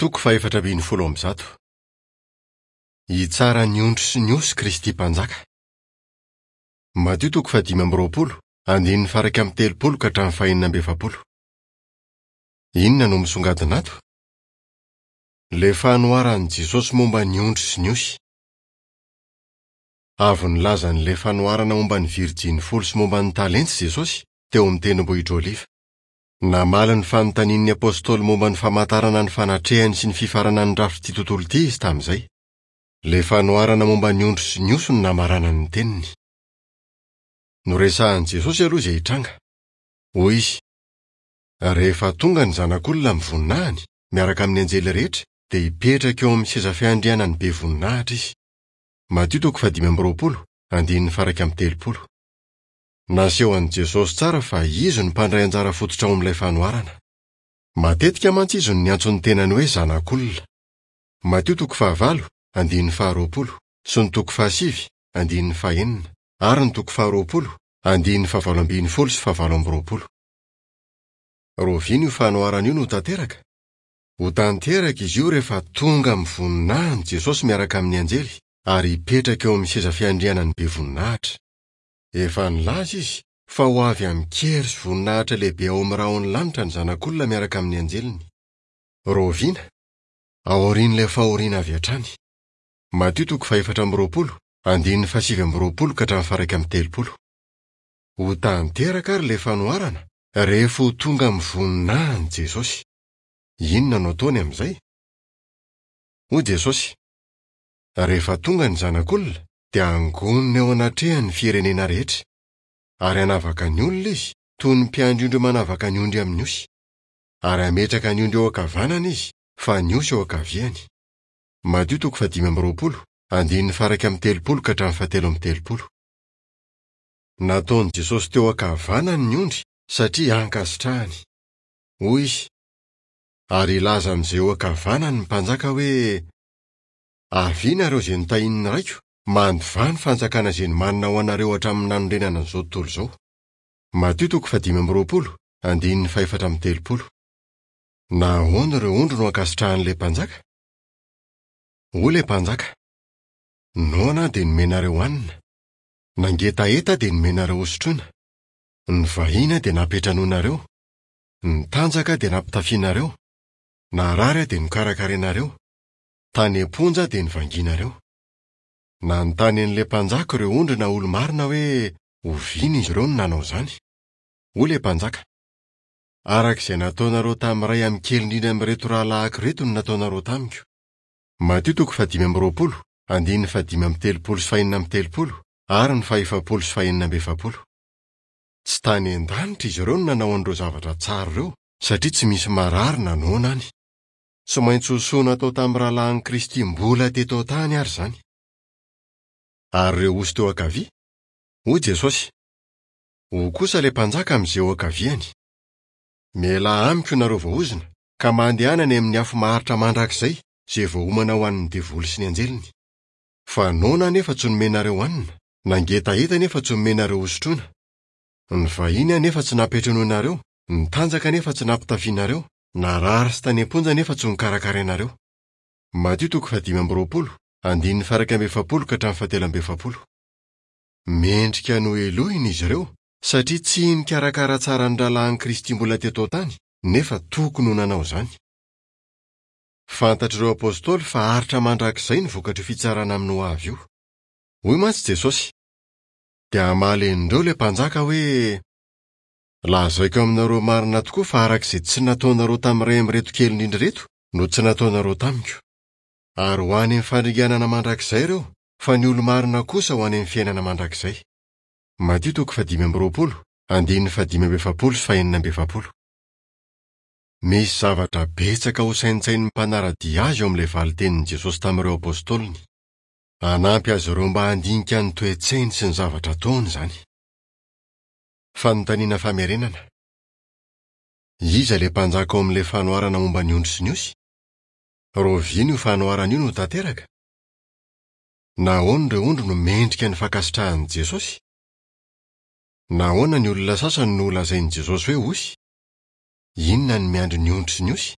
Toko fahefatra ambin'ny folo amby zato. Hitsara ny ondry sy ny osy Kristy Mpanjaka. Matio toko fahadimy amby roapolo, andininy faha-iraika amby telopolo ka hatramin'ny fahenina amby efapolo. Inona no misongadina ato? Ilay fanoharan'i Jesosy momba ny ondry sy ny osy. Avy nilaza an'ilay fanoharana momba ny virjiny folo sy momba ny talenta i Jesosy teo amin'ny Tendrombohitra Oliva. Namaly ny fanontanian'ny apostoly momba ny famantarana ny fanatrehany sy ny fifaranan'ny rafitr'ity tontolo ity izy tamin'izay. Ilay fanoharana momba ny ondry sy ny osy no namaranany ny teniny. Noresahin'i Jesosy aloha izay hitranga. Hoy izy, Rehefa tonga ny Zanak'olona amin'ny voninahiny, miaraka amin'ny anjely rehetra, dia hipetraka eo amin'ny seza fiandrianany be voninahitra izy. Matio toko fahadimy amby roapolo, andininy faha-iraika amby telopolo. Naseho an'i Jesosy tsara fa izy no mpandray anjara fototra ao amin'ilay fanoharana. Matetika mantsy izy no niantso ny tenany hoe Zanak'olona. Matio toko fahavalo, andininy faharoapolo, sy ny toko fahasivy, andininy fahenina, ary ny toko faharoapolo, andininy fahavalo ambin'ny folo sy fahavalo amby roapolo. Rahoviana io fanoharana io no ho tanteraka? Ho tanteraka izy io rehefa tonga amin'ny voninahiny Jesosy miaraka amin'ny anjely ary hipetraka eo amin'ny seza fiandrianany be voninahitra. Efa nilaza izy fa ho avy amin-kery sy voninahitra lehibe ao amin'ny rahon'ny lanitra ny Zanak'olona miaraka amin'ny anjeliny. Rahoviana? Aorian'ilay fahoriana avy hatrany. Matio toko fahefatra amby roapolo, andininy fahasivy amby roapolo ka hatramin'ny faha-iraika amby telopolo. Ho tanteraka àry ilay fanoharana rehefa ho tonga amin'ny voninahiny Jesosy. Inona no ataony amin'izay? Hoy Jesosy, Rehefa tonga ny Zanak'olona, dia hangonina eo anatrehany ny firenena rehetra, ary hanavaka ny olona izy, toy ny mpiandry ondry manavaka ny ondry amin'ny osy. Ary hametraka ny ondry eo ankavanana izy, fa ny osy eo ankaviany. Matio toko fahadimy amby roapolo, andininy faha-iraika amby telopolo ka hatramin'ny fahatelo amby telopolo. Nataon'i Jesosy teo ankavanany ny ondry satria ankasitrahany. Hoy izy, Ary hilaza amin'izay eo ankavanany ny mpanjaka hoe, Avia nareo izay notahian'ny Raiko, mandovà ny fanjakana izay nomanina ho anareo hatramin'ny nanorenana an'izao tontolo izao. Matio toko fahadimy amby roapolo, andininy fahefatra amby telopolo. Nahoana ireo ondry no ankasitrahan'ilay mpanjaka? Hoy ilay mpanjaka, Noana aho dia nomenareo hanina, nangetaheta aho dia nomenareo hosotroina, nivahiny aho dia nampiantranoinareo, nitanjaka aho dia nampitafianareo, narary aho dia nokarakarainareo, Tany am-ponja dia nivangianareo. Nanontany an'ilay mpanjaka ireo ondry na olo-marina hoe oviana izy ireo no nanao izany. Hoy ilay mpanjaka, Araka izay nataonareo tamin'ny iray amin'ny kely indrindra amin'ireto rahalahiko ireto no nataonareo tamiko. Matio toko fahadimy amby roapolo, andininy fahadimy amby telopolo sy fahenina amby telopolo ary ny fahefapolo sy fahenina amby efapolo. Tsy tany an-danitra izy ireo no nanao an'ireo zavatra tsara ireo satria tsy misy marary na noana any. Tsy maintsy ho soa natao tamin'ny rahalahin'i Kristy mbola teto an-tany àry izany. Ary ireo osy teo ankavia? Hoy Jesosy, Hoy kosa ilay mpanjaka amin'izay eo ankaviany, Mialà amiko nareo voaozona, ka mandehana any amin'ny afo maharitra mandrakizay, izay voaomana ho an'ny devoly sy ny anjeliny. Fa noana aho nefa tsy nomenareo hanina, nangetaheta nefa tsy nomenareo hosotroina. Nivahiny aho nefa tsy nampiantranoinareo, nitanjaka nefa tsy nampitafianareo, Narary sy tany am-ponja nefa tsy nokarakarainareo. Matio toko fahadimy amby roapolo, andininy faha-iraika amby efapolo ka hatramin'ny fahatelo amby efapolo. Mendrika nohelohina izy ireo satria tsy nikarakara tsara ny rahalahin'i Kristy mbola teto an-tany nefa tokony ho nanao izany. Fantatr'ireo apostoly fa haharitra mandrakizay ny vokatr'io fitsarana amin'ny hoavy io. Hoy mantsy Jesosy, Dia hamaly an'ireo ilay mpanjaka hoe, Lazaiko aminareo marina tokoa fa araka izay tsy nataonareo tamin'ny iray amin'ireto kely indrindra ireto no tsy nataonareo tamiko. Ary ho any amin'ny fandringanana mandrakizay ireo, fa ny olo-marina kosa ho any amin'ny fiainana mandrakizay. Matio toko fahadimy amby roapolo, andininy fahadimy amby efapolo sy fahenina amby efapolo. Misy zavatra betsaka hosaintsainin'ny mpanara-dia azy eo amin'ilay valin-tenin'i Jesosy tamin'ireo apostoliny. Hanampy azy ireo mba handinika ny toe-tsainy sy ny zavatra ataony izany. Fanontaniana famerenana. Iza ilay mpanjaka ao amin'ilay fanoharana momba ny ondry sy ny osy? Rahoviana io fanoharana io no tanteraka? Nahoana ireo ondry no mendrika ny fankasitrahan'i Jesosy? Nahoana ny olona sasany no holazain'i Jesosy hoe osy? Inona no miandry ny ondry sy ny osy?